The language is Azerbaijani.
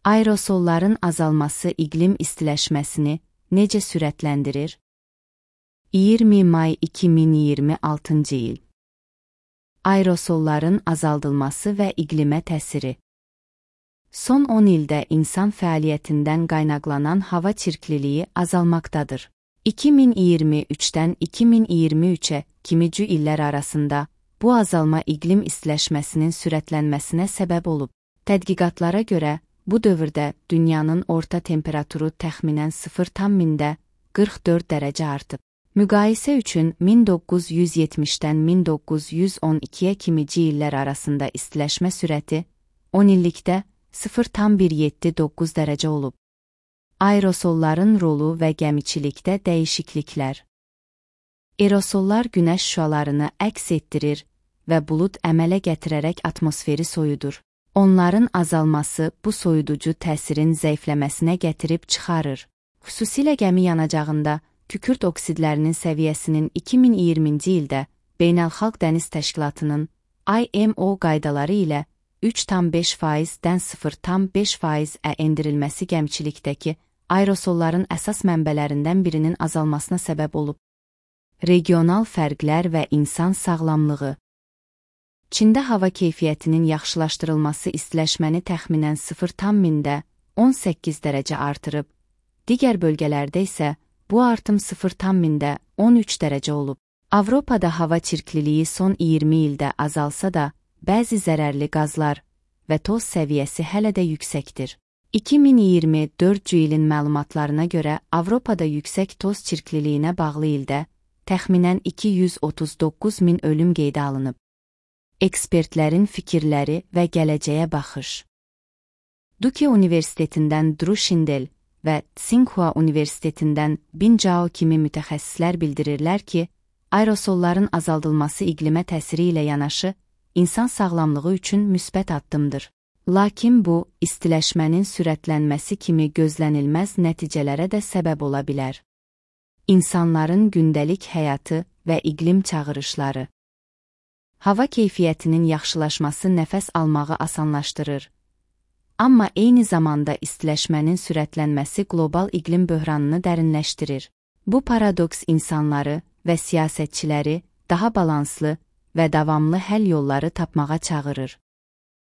Aerosolların azalması iqlim istiləşməsini necə sürətləndirir? 20 may 2026 il. Aerosolların azaldılması və iqlimə təsiri. Son 10 ildə insan fəaliyyətindən qaynaqlanan hava çirkliliyi azalmaqdadır. 2023-dən 2023-ə kimici illər arasında bu azalma iqlim istiləşməsinin sürətlənməsinə səbəb olub. Tədqiqatlara görə, bu dövrdə dünyanın orta temperaturu təxminən 0,44 dərəcə artıb. Müqayisə üçün 1970-dən 1912-yə kimici illər arasında istiləşmə sürəti 10 illikdə 0,179 dərəcə olub. Aerosolların rolu və gəmiçilikdə dəyişikliklər. Aerosollar günəş şüalarını əks etdirir və bulud əmələ gətirərək atmosferi soyudur. Onların azalması bu soyuducu təsirin zəifləməsinə gətirib çıxarır. Xüsusilə gəmi yanacağında kükürt oksidlərinin səviyyəsinin 2020-ci ildə Beynəlxalq Dəniz Təşkilatının IMO qaydaları ilə 3,5%-dən 0,5%-ə endirilməsi gəmiçilikdəki aerosolların əsas mənbələrindən birinin azalmasına səbəb olub. Regional fərqlər və insan sağlamlığı. Çində hava keyfiyyətinin yaxşılaşdırılması istiləşməni təxminən 0,18 dərəcə artırıb, digər bölgələrdə isə bu artım 0,13 dərəcə olub. Avropada hava çirkliliyi son 20 ildə azalsa da, bəzi zərərli qazlar və toz səviyyəsi hələ də yüksəkdir. 2024 ilin məlumatlarına görə Avropada yüksək toz çirkliliyinə bağlı ildə təxminən 239 min ölüm qeydə alınıb. Ekspertlərin fikirləri və gələcəyə baxış. Duke Universitetindən Drew Shindel və Tsinghua Universitetindən Bin Zhao kimi mütəxəssislər bildirirlər ki, aerosolların azaldılması iqlimə təsiri ilə yanaşı, insan sağlamlığı üçün müsbət addımdır. Lakin bu, istiləşmənin sürətlənməsi kimi gözlənilməz nəticələrə də səbəb ola bilər. İnsanların gündəlik həyatı və iqlim çağırışları. Hava keyfiyyətinin yaxşılaşması nəfəs almağı asanlaşdırır. Amma eyni zamanda istiləşmənin sürətlənməsi qlobal iqlim böhranını dərinləşdirir. Bu paradoks insanları və siyasətçiləri daha balanslı və davamlı həll yolları tapmağa çağırır.